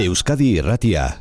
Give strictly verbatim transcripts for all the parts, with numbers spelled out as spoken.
Euskadi Irratia.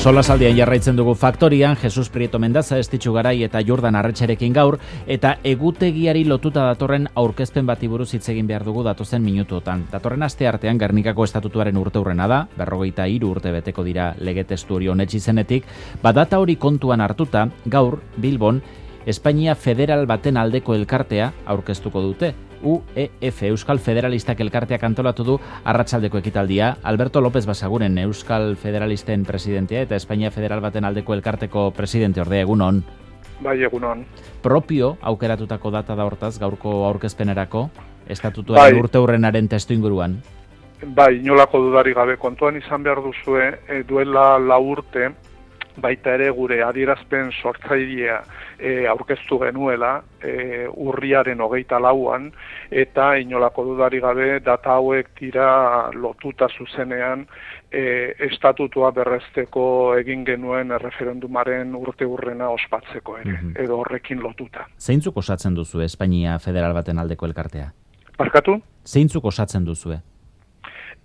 Solasaldian jarraitzen dugu Faktorian, Jesus Prieto Mendaza, Estitxu Garai eta Jordan Arretxarekin gaur, eta egutegiari lotuta datorren aurkezpen bati buruz hitz egin behar dugu datozen minutuotan. Datorren aste artean Gernikako estatutuaren urteurrena da, berrogeita hiru urte beteko dira lege testu hori onetsi zenetik, badata hori kontuan hartuta, gaur, Bilbon, Espainia Federal baten aldeko elkartea aurkeztuko dute. U E F, Euskal Federalistak elkarteak antolatu du arratsaldeko ekitaldia. Alberto López Basaguren, Euskal Federalisten presidentea eta Espainia Federal baten aldeko elkarteko presidente ordea, egunon. Bai, egunon. Propio aukeratutako data da hortaz, gaurko aurkezpenerako, estatutuaren bai. Urteurrenaren testu inguruan. Bai, inolako dudari gabe, kontuan izan behar duzue, e, duela lau urte, baita ere gure adierazpen sortzailea e, aurkeztu genuela e, urriaren hogeita lauan, eta inolako dudari gabe data hauek dira lotuta zuzenean e, estatutua berrezteko egin genuen erreferendumaren urteurrena ospatzeko ere, mm-hmm. edo horrekin lotuta. Zeintzuk osatzen duzu Espainia Federal baten aldeko elkartea? Barkatu? Zeintzuk osatzen duzue?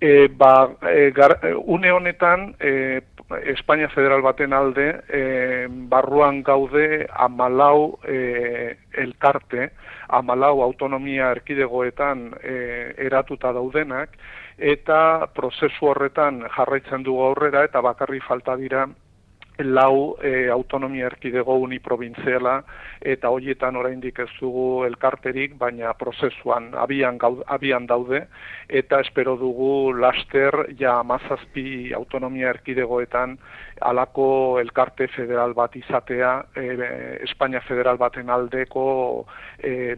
E, ba, e, gar, une honetan e, Espainia Federal baten alde e, barruan gaude hamalau e, elkarte, hamalau autonomia erkidegoetan e, eratuta daudenak, eta prozesu horretan jarraitzen dugu aurrera eta bakarri falta dira lau e, autonomia erkidego uniprobintziala, eta horietan oraindik ez dugu elkarterik, baina prozesuan abian, gaud, abian daude, eta espero dugu laster ja hamazazpi autonomia erkidegoetan halako elkarte federal bat izatea, e, Espainia Federal baten aldeko e,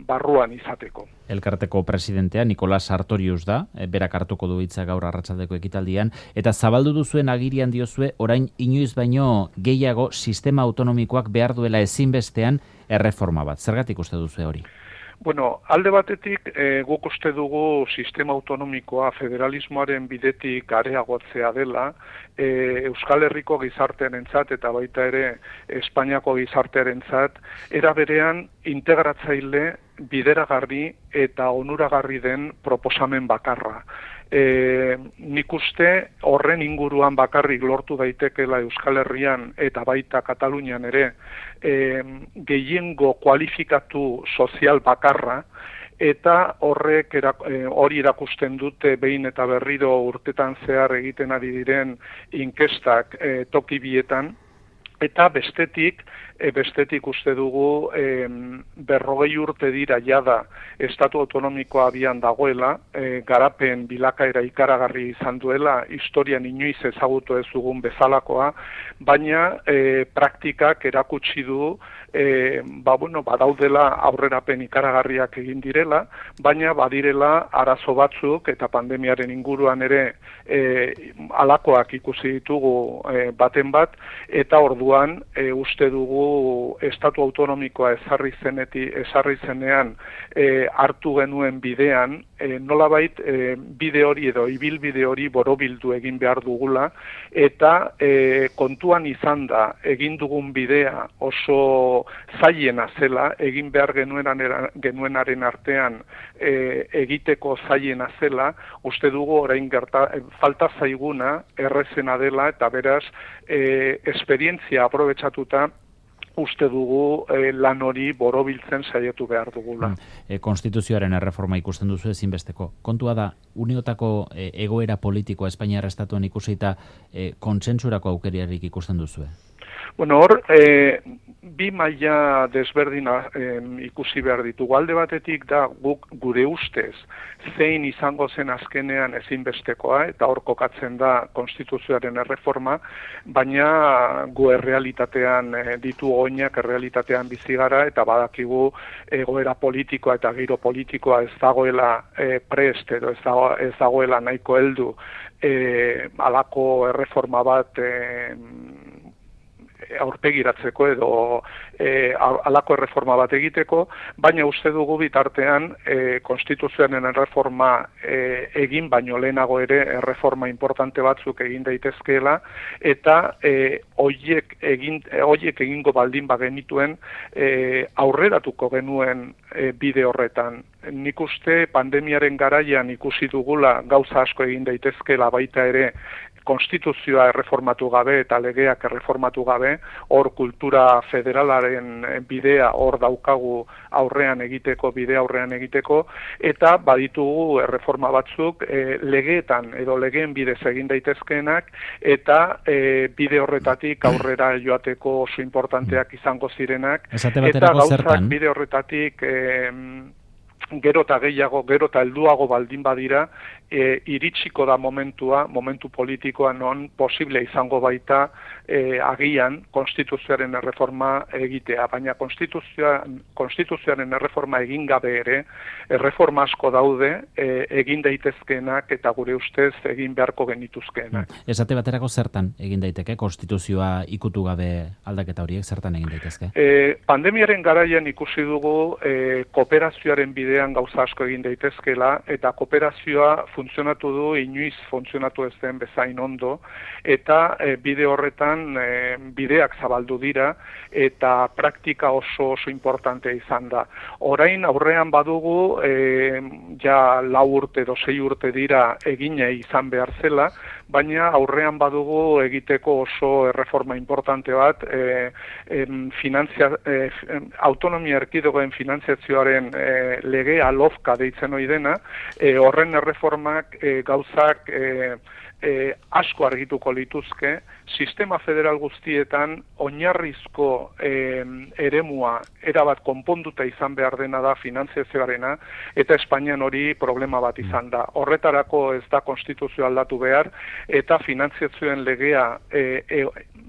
barruan izateko. Elkarteko presidentea Nicolas Sartorius da, e, berak hartuko du hitza gaur arratsaldeko ekitaldian, eta zabaldu duzuen agirian diozue orain inoiz baino gehiago sistema autonomikoak behar duela ezinbestean erreforma bat. Zergatik uste duzu hori? Bueno, alde batetik e, guk uste dugu sistema autonomikoa federalismoaren bidetik areagotzea dela, e, Euskal Herriko gizartearentzat eta baita ere Espainiako gizartearentzat era berean integratzaile, bideragarri eta onuragarri den proposamen bakarra. E, nik uste horren inguruan bakarrik lortu daitekela Euskal Herrian eta baita Katalunian ere e, gehiengo kualifikatu sozial bakarra, eta horrek erak, e, hori erakusten dute behin eta berriro urtetan zehar egiten ari diren inkestak e, toki bietan. Eta bestetik, e, bestetik uste dugu e, berrogei urte dira jada estatu autonomikoa abian dagoela, e, garapen bilakaera ikaragarri izan duela, historian inoiz ezagutu ez dugun bezalakoa, baina e, praktikak erakutsi du e, ba, bueno, badaudela aurrerapen ikaragarriak egin direla, baina badirela arazo batzuk eta pandemiaren inguruan ere e, alakoak ikusi ditugu e, baten bat, eta ordu E, uste dugu estatu autonomikoa ezarri zeneti, ezarri zenean e, hartu genuen bidean, e, nolabait e, bide hori edo ibilbide hori borobildu egin behar dugula, eta e, kontuan izan da egin dugun bidea oso zailena zela, egin behar genuenaren, genuenaren artean e, egiteko zailena zela, uste dugu orain gerta, e, falta zaiguna errezena dela, eta beraz e, esperientzia aprobetxatuta uste dugu e, lan hori borobiltzen saiatu behar dugula. E, konstituzioaren erreforma ikusten duzu ezinbesteko. Kontua da, uniotako e, egoera politikoa Espainiar estatuan ikusita e, kontsentsurako aukeriarik ikusten duzu? Bueno, hor, e, bi maila desberdina e, ikusi behar ditugu. Alde batetik da guk gure ustez zein izango zen azkenean ezinbestekoa, eta hor kokatzen da konstituzioaren erreforma, baina gu errealitatean e, ditu oinak errealitatean bizi gara, eta badakigu egoera politikoa eta giro politikoa ez dagoela e, prest, edo ez, dago, ez dagoela nahiko heldu e, alako erreforma bat e, aurpegiratzeko edo e, alako erreforma bat egiteko, baina uste dugu bitartean e, konstituzioaren erreforma e, egin, baino lehenago ere erreforma importante batzuk egin daitezkeela, eta e, hoiek egin, hoiek egingo baldin bagenituen e, aurreratuko genuen e, bide horretan. Nik uste pandemiaren garaian ikusi dugula gauza asko egin daitezkeela baita ere konstituzioa erreformatu gabe eta legeak erreformatu gabe, hor kultura federalaren bidea hor daukagu aurrean egiteko, bide aurrean egiteko, eta baditugu erreforma batzuk e, legeetan edo legeen bidez egin daitezkeenak, eta e, bide horretatik aurrera joateko oso importanteak izango zirenak, eta gauzak bide horretatik e, gero eta gehiago, gero eta helduago baldin badira, e, iritsiko da momentua, momentu politikoa non posible izango baita e, agian konstituzioaren erreforma egitea, baina konstituzioa, konstituzioaren erreforma egin gabe ere, erreforma asko daude e, egin daitezkeenak eta gure ustez egin beharko genituzkeenak. Esate baterako zertan egin daiteke, konstituzioa ikutu gabe aldaketa horiek zertan egin daitezke? E, pandemiaren garaian ikusi dugu e, kooperazioaren bidean gauza asko egin daitezkela, eta kooperazioa funtzionatu du inoiz funtzionatu ez den bezain ondo, eta e, bide horretan e, bideak zabaldu dira, eta praktika oso oso importante izan da. Orain aurrean badugu, e, ja lau urte edo sei urte dira egine izan behar zela, baina aurrean badugu egiteko oso erreforma importante bat, e, e, finantzia, e, autonomia erkidegoen finantziazioaren e, legea lofka deitzen ohi dena, e, horren erreformak e, gauzak e, e, asko argituko lituzke, sistema federal guztietan oinarrizko e, eremua erabat konponduta izan behar dena da finantziazioarena, eta Espainian hori problema bat izan da. Horretarako ez da konstituzio aldatu behar, eta finantziazioen legea e, e,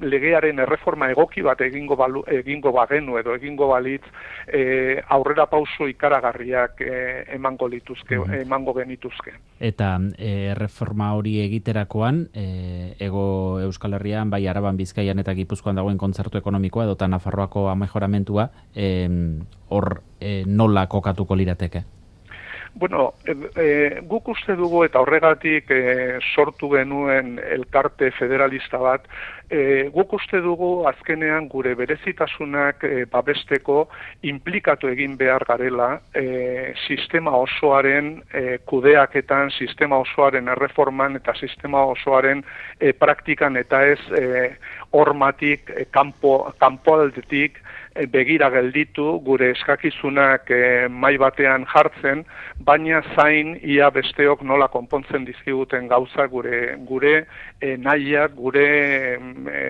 legearen erreforma egoki bat egingo, balu, egingo bagenu edo egingo balitz e, aurrera pauso ikaragarriak e, emango lituzke, mm-hmm. emango genituzke. Eta e, erreforma hori egiterakoan, e, ego Euskal Herrian, bai Araban, Bizkaian eta Gipuzkoan dagoen kontzertu ekonomikoa edo eta Nafarroako amejoramentua, hor e, nola kokatuko lirateke? Bueno, e, e, guk uste dugu eta horregatik e, sortu genuen elkarte federalista bat, e, guk uste dugu azkenean gure berezitasunak e, babesteko inplikatu egin behar garela e, sistema osoaren e, kudeaketan, sistema osoaren erreforman eta sistema osoaren e, praktikan eta ez e, hormatik, e, kanpo, kanpoaldetik, begira gelditu, gure eskakizunak e, mai batean jartzen, baina zain ia besteok nola konpontzen dizkiguten gauza gure gure e, nahiak, gure e,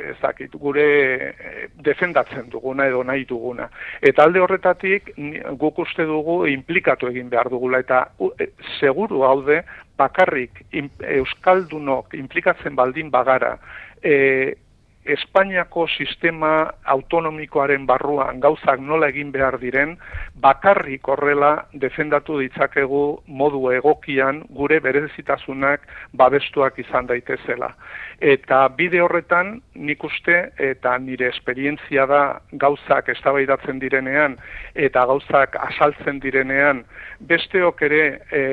ezakit, gure e, defendatzen duguna edo nahi duguna. Eta alde horretatik guk uste dugu inplikatu egin behar dugula, eta e, seguru haude bakarrik in, euskaldunok inplikatzen baldin bagara, e, Espainiako sistema autonomikoaren barruan gauzak nola egin behar diren, bakarrik horrela defendatu ditzakegu modu egokian gure berezitasunak babestuak izan daitezela. Eta bide horretan nik uste, eta nire esperientzia da gauzak eztabaidatzen direnean eta gauzak azaltzen direnean, besteok ere e,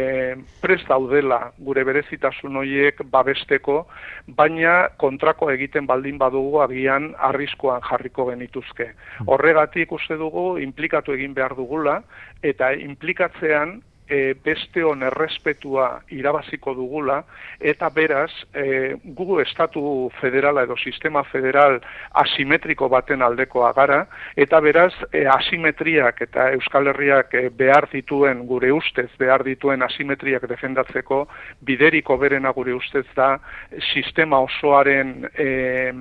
prest daudela gure berezitasun horiek babesteko, baina kontrako egiten baldin badugu agian arriskoan jarriko genituzke. Horregatik uste dugu inplikatu egin behar dugula, eta inplikatzean e, besteon errespetua irabaziko dugula, eta beraz e, gu estatu federala edo sistema federal asimetriko baten aldekoa gara, eta beraz e, asimetriak eta Euskal Herriak e, behar dituen, gure ustez behar dituen asimetriak defendatzeko bideriko berena gure ustez da sistema osoaren e,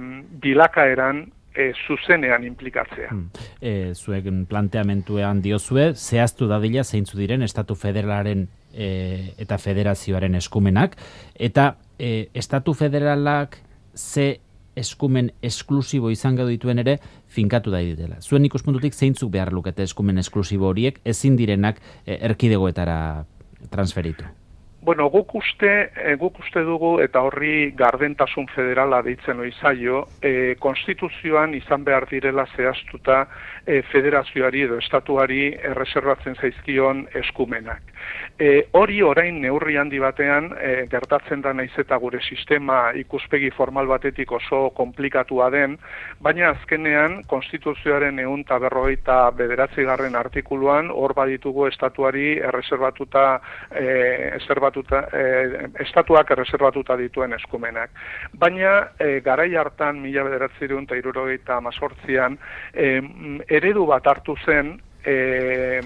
bilakaeran E, zuzenean implikatzea. Hmm. E, zuek planteamentuean diozue, zehaztu dadila zeintzu diren Estatu Federalaren e, eta Federazioaren eskumenak, eta e, Estatu Federalak ze eskumen esklusibo izango dituen ere finkatu da ditela. Zuen ikuspuntutik zeintzuk behar lukete eskumen esklusibo horiek ezin direnak e, erkidegoetara transferitu? Bueno, guk uste, e, guk uste dugu, eta horri gardentasun federala deitzen hori zaio, e, konstituzioan izan behar direla zehaztuta e, federazioari edo estatuari erreserbatzen zaizkion eskumenak. E, hori orain neurri handi batean e, gertatzen da naiz eta gure sistema ikuspegi formal batetik oso konplikatua den, baina azkenean konstituzioaren ehun eta berrogeita bederatzigarren artikuluan hor baditugu estatuari erreserbatuta e, eserbatuta, e, estatuak erreserbatuta dituen eskumenak. Baina e, garai hartan mila bederatziehun eta hirurogeita hemezortzian e, eredu bat hartu zen E,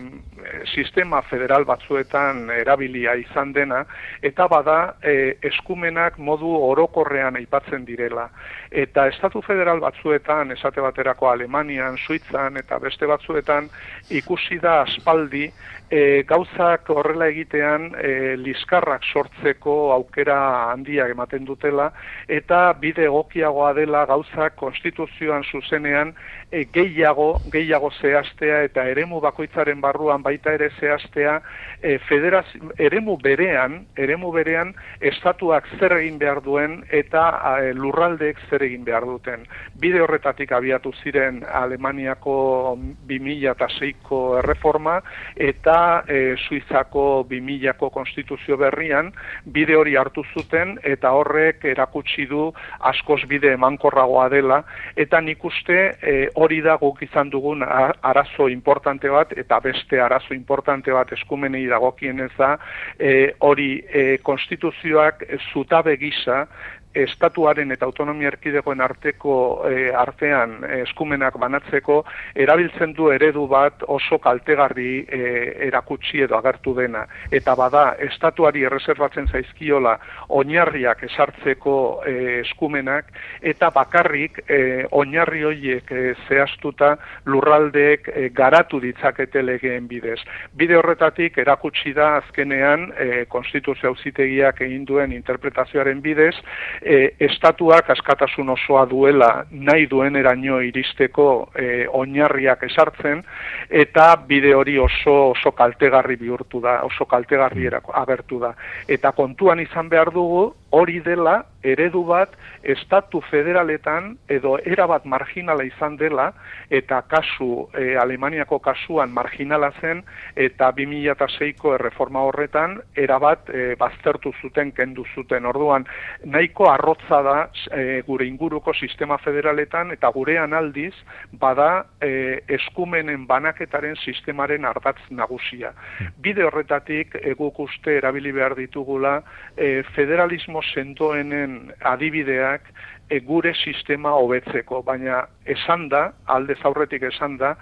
sistema federal batzuetan erabilia izan dena, eta bada e, eskumenak modu orokorrean aipatzen direla. Eta estatu federal batzuetan, esate baterako Alemanian, Suitzan eta beste batzuetan ikusi da aspaldi e, gauzak horrela egitean e, liskarrak sortzeko aukera handiak ematen dutela, eta bide egokiagoa dela gauzak konstituzioan zuzenean e, gehiago, gehiago zehaztea eta eremu bakoitzaren barruan baita ere zehaztea e, federaz, eremu berean, eremu berean estatuak zer egin behar duen eta e, lurraldeek zer egin behar duten. Bide horretatik abiatu ziren Alemaniako bi mila seiko erreforma eta e, Suizako bi milako konstituzio berrian bide hori hartu zuten eta horrek erakutsi du askoz bide emankorragoa dela, eta nik uste e, hori da guk izan dugun arazo importante bat, eta beste arazo importante bat eskumenei dagokienez da, e, hori e, konstituzioak zutabe gisa estatuaren eta autonomia erkidegoen arteko e, artean e, eskumenak banatzeko erabiltzen du eredu bat oso kaltegarri e, erakutsi edo agertu dena. Eta bada, estatuari erreserbatzen zaizkiola oinarriak esartzeko e, eskumenak, eta bakarrik e, oinarri horiek e, zehaztuta lurraldeek e, garatu ditzakete legeen bidez. Bide horretatik erakutsi da azkenean e, Konstituzio Auzitegiak egin duen interpretazioaren bidez, E, estatuak askatasun osoa duela nahi dueneraino iristeko e, oinarriak esartzen, eta bide hori oso oso kaltegarri bihurtu da, oso kaltegarri agertu da. Eta kontuan izan behar dugu, hori dela eredu bat estatu federaletan edo erabat marginala izan dela, eta kasu e, Alemaniako kasuan marginala zen, eta bi mila seiko erreforma horretan erabat e, baztertu zuten, kendu zuten. Orduan, nahiko arrotza da e, gure inguruko sistema federaletan, eta gurean aldiz bada e, eskumenen banaketaren sistemaren ardatz nagusia. Bide horretatik e, guk uste erabili behar ditugula e, federalismo sendoenen adibideak e, gure sistema hobetzeko, baina esan da, aldez aurretik esan da,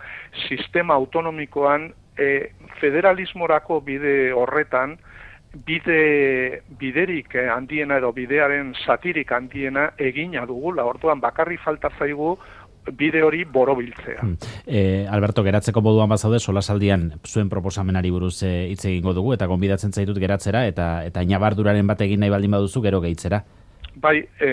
sistema autonomikoan e, federalismorako bide horretan bide biderik handiena edo bidearen zatirik handiena egina dugula. Orduan bakarri falta zaigu bide hori borobiltzea. Hmm. E, Alberto, geratzeko moduan bazaude, solasaldian zuen proposamenari buruz hitz e, egingo dugu, eta gonbidatzen zaitut geratzera, eta eta inabarduraren bat egin nahi baldin baduzu, gero gehitzera. Bai, e,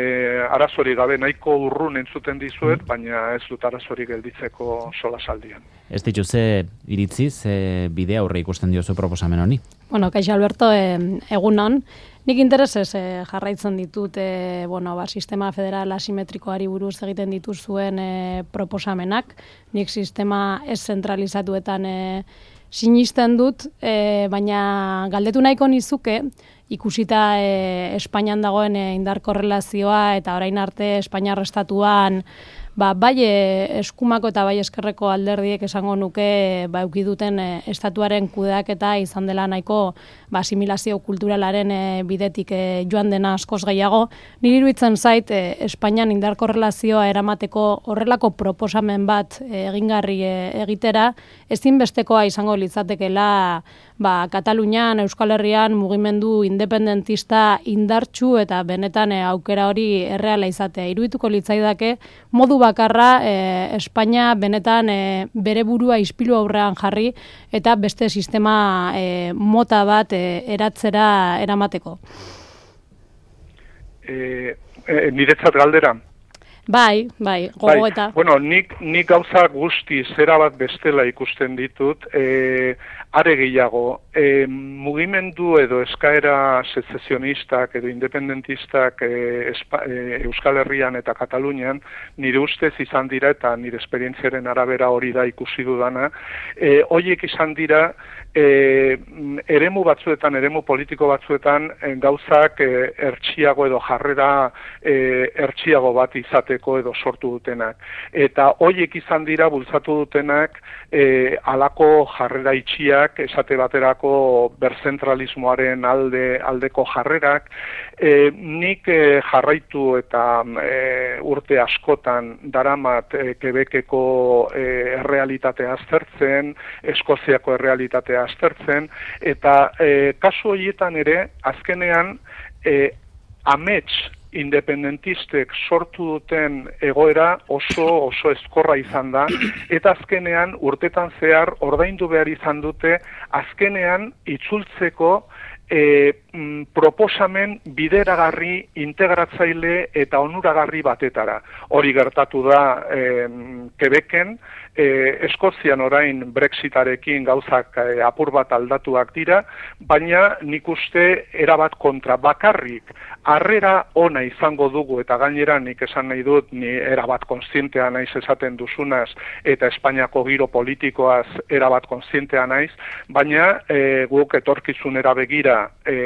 arazori gabe nahiko urrun entzuten dizuet, hmm. baina ez dut arazori gelditzeko solasaldian. Ez ditu, ze iritzi, ze bidea aurre ikusten diozu proposamen honi? Bueno, kaixo Alberto, e, egunon. Nik interesez e, jarraitzen ditut e, bueno, ba, sistema federal asimetrikoari buruz egiten dituzuen e, proposamenak. Nik sistema ez zentralizatuetan e, sinisten dut, e, baina galdetu nahiko nizuke, ikusita e, Espainian dagoen e, indar korrelazioa eta orain arte Espainiar estatuan ba, bai e, eskumako eta bai eskerreko alderdiek esango nuke ba, euki duten e, estatuaren kudeaketa izan dela nahiko ba, asimilazio kulturalaren e, bidetik e, joan dena askoz gehiago. Niri iruditzen zait e, Espainian indar korrelazioa eramateko horrelako proposamen bat e, egingarri e, egitera, ezinbestekoa izango litzatekeela ba, Katalunian, Euskal Herrian mugimendu independentista indartsu eta benetan e, aukera hori erreala izatea. Irudituko litzaidake modu bakarra e, Espainia benetan e, bere burua ispilu aurrean jarri eta beste sistema e, mota bat e, eratzera eramateko. E, e, niretzat galdera? Bai, bai, gogoeta. Bai, bueno, nik, nik gauza guzti zera bat bestela ikusten ditut, e, are gehiago, e, mugimendu edo eskaera secesionistak edo independentistak e, espa, e, Euskal Herrian eta Katalunian nire ustez izan dira eta nire esperientziaren arabera hori da ikusi dudana, e, horiek izan dira e, eremu batzuetan, eremu politiko batzuetan e, gauzak e, ertsiago edo jarrera e, ertsiago bat izateko edo sortu dutenak. Eta horiek izan dira bultzatu dutenak e, alako jarrera itxiak, esate baterako berzentralismoaren alde aldeko jarrerak, e, nik e, jarraitu eta e, urte askotan daramat e, Quebeceko e, errealitatea aztertzen, Eskoziako errealitatea aztertzen, eta e, kasu horietan ere, azkenean, e, amets independentistek sortu duten egoera oso oso ezkorra izan da, eta azkenean urtetan zehar ordaindu behar izan dute, azkenean itzultzeko e, m, proposamen bideragarri, integratzaile eta onuragarri batetara. Hori gertatu da e, Quebecen, e, Eskozian orain Brexitarekin gauzak e, apur bat aldatuak dira, baina nik uste erabat kontra bakarrik harrera ona izango dugu, eta gainera nik esan nahi dut, ni erabat kontzientea naiz esaten duzunaz, eta Espainiako giro politikoaz erabat kontzientea naiz, baina e, guk etorkizunera begira e,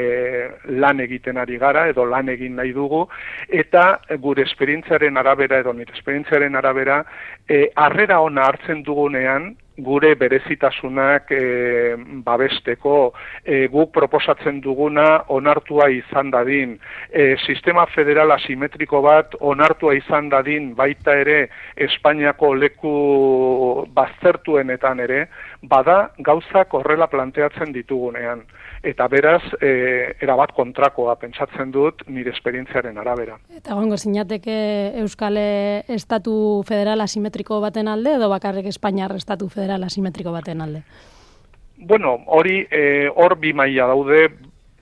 lan egiten ari gara, edo lan egin nahi dugu, eta gure esperientziaren arabera, edo nire esperientziaren arabera, e, harrera ona hartzen dugunean, gure berezitasunak e, babesteko, e, guk proposatzen duguna onartua izan dadin, e, sistema federal asimetriko bat onartua izan dadin, baita ere Espainiako leku baztertuenetan ere, bada gauzak horrela planteatzen ditugunean. Eta beraz, e, erabat kontrakoa pentsatzen dut nire esperientziaren arabera. Eta gongo zinateke Euskal Estatu federal asimetriko baten alde, edo bakarrik Espainiar Estatu federal asimetriko baten alde? Bueno, hori e, hor bi maila daude,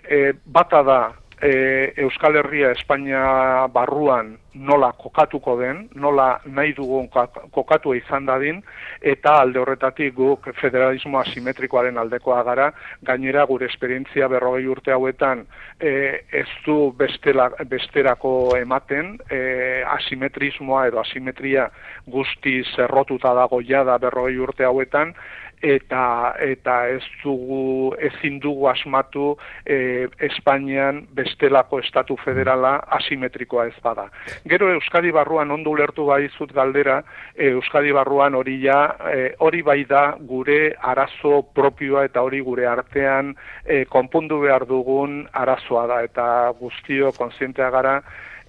e, bata da e, Euskal Herria Espainia barruan nola kokatuko den, nola nahi dugun kokatua izan dadin, eta alde horretatik guk federalismo asimetrikoaren aldekoa gara, gainera gure esperientzia berrogei urte hauetan e, ez du bestela, besterako ematen, e, asimetrismoa edo asimetria guztiz errotuta dago jada berrogei urte hauetan, eta eta ez dugu ezin dugu asmatu e, Espainian bestelako estatu federala asimetrikoa ez bada. Gero Euskadi barruan ondo ulertu baizut galdera, e, Euskadi barruan hori ja, e, hori bai da gure arazo propioa eta hori gure artean e, konpondu behar dugun arazoa da, eta guztio kontzientea gara.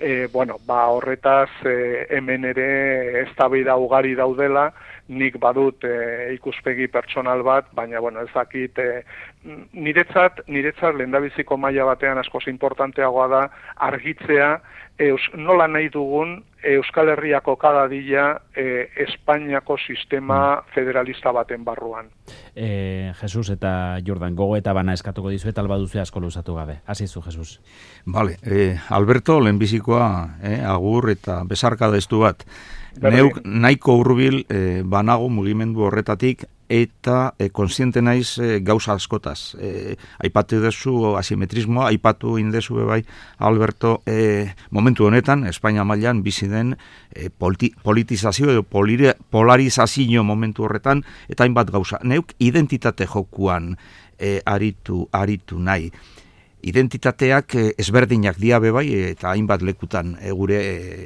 E, bueno, ba, horretaz e, hemen ere eztabaida ugari daudela, nik badut e, ikuspegi pertsonal bat, baina bueno, ez dakit e, niretzat, niretzat lehendabiziko maila batean askoz importanteagoa da argitzea eus, nola nahi dugun Euskal Herriako kadadila e, Espainiako sistema federalista baten barruan. E, Jesus eta Jordan, gogo eta bana eskatuko dizu eta albaduzu asko luzatu gabe. Hasizu, Jesus. Vale, eh, Alberto, lehenbizikoa, eh, agur eta besarkada estu bat. Neuk nahiko hurbil eh, banago mugimendu horretatik eta eh, konsiente naiz eh, gauza askotaz. Eh, aipatu dezu asimetrismoa, aipatu indezu bai, Alberto, eh, momentu honetan, Espainia mailan bizi den eh, politi politizazio edo polarizazio momentu horretan, eta hainbat gauza. Neuk identitate jokuan eh, aritu, aritu nahi. Identitateak ezberdinak dira bai, eta hainbat lekutan e, gure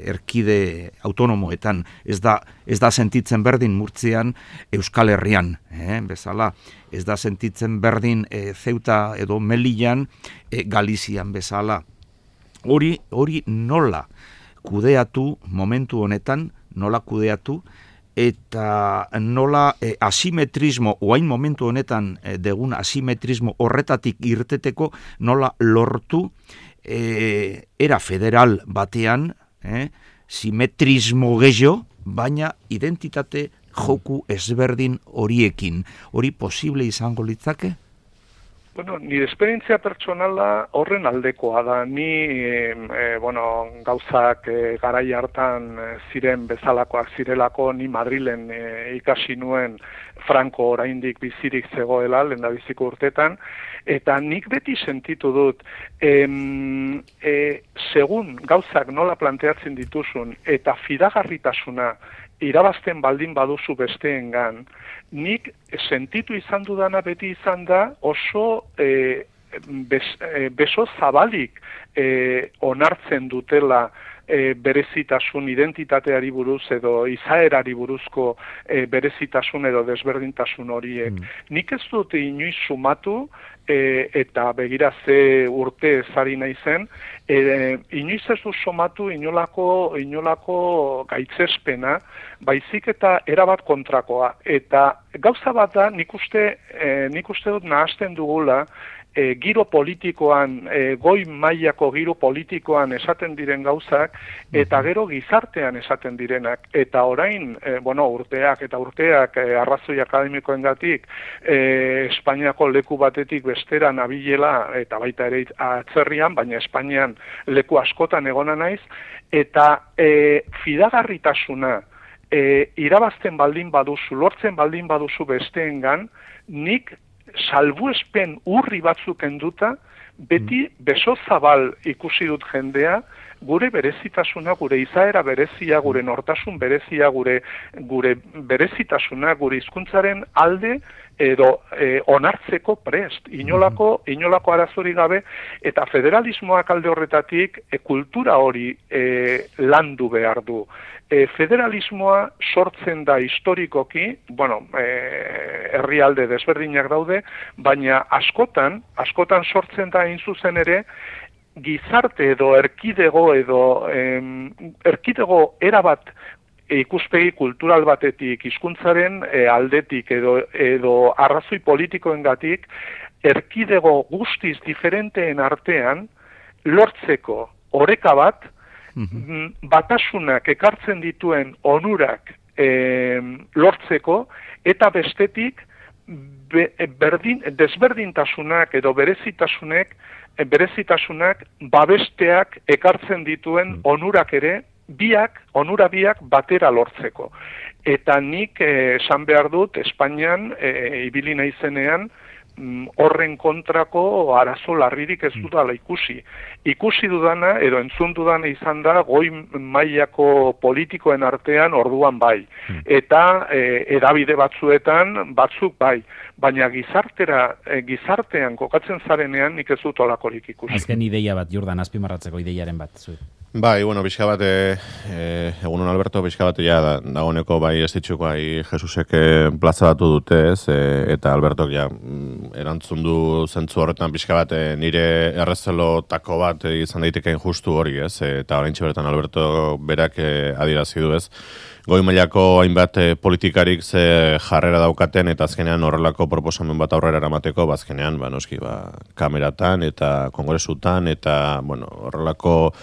erkide autonomoetan ez da, ez da sentitzen berdin Murtzian Euskal Herrian, eh, bezala, ez da sentitzen berdin e, Ceuta edo Melillan e, Galizian bezala. Hori, hori nola kudeatu momentu honetan, nola kudeatu, eta nola e, asimetrismo, oain momentu honetan e, degun asimetrismo horretatik irteteko nola lortu e, era federal batean, e, simetrismo gehiago, baina identitate joku ezberdin horiekin. Hori posible izango litzake? Bueno, nire esperientzia pertsonala horren aldekoa da. Ni, e, bueno, gauzak e, garai hartan e, ziren bezalakoak zirelako, ni Madrilen e, ikasi nuen Franco oraindik bizirik zegoela, lehendabiziko urtetan, eta nik beti sentitu dut, em, e, segun gauzak nola planteatzen dituzun, eta fidagarritasuna irabazten baldin baduzu besteengan, nik sentitu izan dudana beti izan da oso e, bez, e, beso zabalik e, onartzen dutela e, berezitasun identitateari buruz edo izaerari buruzko e, berezitasun edo desberdintasun horiek. Mm. Nik ez dut inoiz sumatu e, eta begira ze urte ezari naizen, e, inoiz ez du somatu inolako, inolako gaitzespena, baizik eta erabat kontrakoa. Eta gauza bat da, nik uste, e, nik uste dut nahasten dugula, E, giro politikoan, e, goi mailako giro politikoan esaten diren gauzak, eta gero gizartean esaten direnak. Eta orain, e, bueno, urteak eta urteak e, arrazoi akademikoengatik e, Espainiako leku batetik bestera nabilela, eta baita ere atzerrian, baina Espainian leku askotan egona naiz, eta e, fidagarritasuna e, irabazten baldin baduzu, lortzen baldin baduzu besteengan, nik salbuespen urri batzuk enduta, beti beso zabal ikusi dut jendea, gure berezitasuna, gure izaera berezia, gure nortasun berezia, gure gure berezitasuna, gure hizkuntzaren alde edo e, onartzeko prest, inolako, inolako arazori gabe, eta federalismoak alde horretatik e, kultura hori e, landu behar du. E, federalismoa sortzen da historikoki, bueno, e, herrialde desberdinak daude, baina askotan, askotan sortzen da hain zuzen ere, gizarte edo erkidego edo em, erkidego erabat ikuspegi kultural batetik, hizkuntzaren e, aldetik edo, edo arrazoi politikoengatik, erkidego guztiz diferenteen artean lortzeko oreka bat, mm-hmm. batasunak ekartzen dituen onurak e, lortzeko, eta bestetik be, berdin, desberdintasunak edo berezitasunek, berezitasunak babesteak ekartzen dituen onurak ere, biak, onura biak batera lortzeko. Eta nik eh, esan behar dut, Espainian, eh, ibili naizenean, horren kontrako arazo larririk ez dudala ikusi. Ikusi dudana, edo entzun dudana izan da, goi mailako politikoen artean orduan bai. Eta e, edabide batzuetan, batzuk bai. Baina gizartera, e, gizartean kokatzen zarenean nik ez dut olakorik ikusi. Azken ideia bat, Jordan, azpimarratzeko ideiaren bat zuet. Bai, bueno, pixka bat, e, egunon Alberto, pixka bat, ja, da, dagoneko bai ez ditxuko, bai, Jesusek plazaratu dute, ez, e, eta Albertok, ja, erantzun du zentzu horretan pixka bat, e, nire errezelotako bat e, izan daiteken justu hori, ez, e, eta orain txibertan Alberto berak e, adierazi du, ez, goi mailako hainbat e, politikarik ze jarrera daukaten, eta azkenean horrelako proposamen bat aurrera eramateko, bazkenean, ba, noski, ba, kameratan, eta kongresutan, eta, bueno, horrelako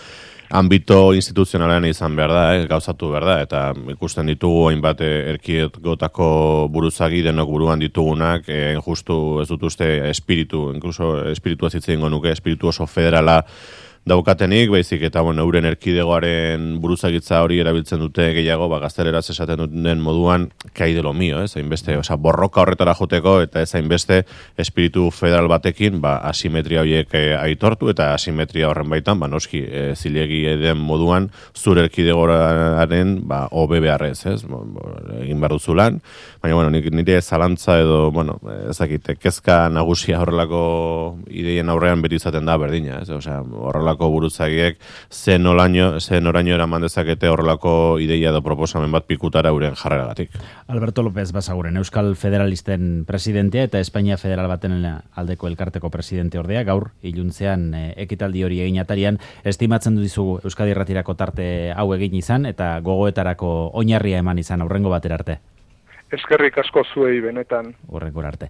ambito instituzionalean izan behar da, eh, gauzatu behar da, eta ikusten ditugu hainbat erkidegotako buruzagi denok buruan ditugunak, eh, justu ez dut uste espiritu, inkluso espiritua zitzen nuke, espiritu oso federala daukatenik, baizik eta bueno, euren erkidegoaren buruzagitza hori erabiltzen dute gehiago, ba, gazteleraz esaten duten moduan, kai de lo mío, ez, hainbeste, oza, borroka horretara joteko, eta ez hainbeste espiritu federal batekin, ba, asimetria horiek e, aitortu, eta asimetria horren baitan, ba, noski, e, zilegi den moduan, zure erkidegoaren, ba, hobe beharrez, ez, bo, bo, egin behar duzulan, baina, bueno, nire zalantza edo, bueno, ezakite, kezka nagusia horrelako ideien aurrean beti izaten da berdina, ez, osea, horrelako buruzagiek zen oraino zen oraino eraman dezakete horrelako ideia edo proposamen bat pikutara euren jarreragatik. Alberto López Basaguren, Euskal Federalisten presidentea eta Espainia Federal baten aldeko elkarteko presidente ordea, gaur iluntzean e, ekitaldi hori egin atarian, estimatzen du dizugu Euskadi Irratirako tarte hau egin izan eta gogoetarako oinarria eman izan aurrengo batera arte. Eskerrik asko zuei benetan. Horrekor arte.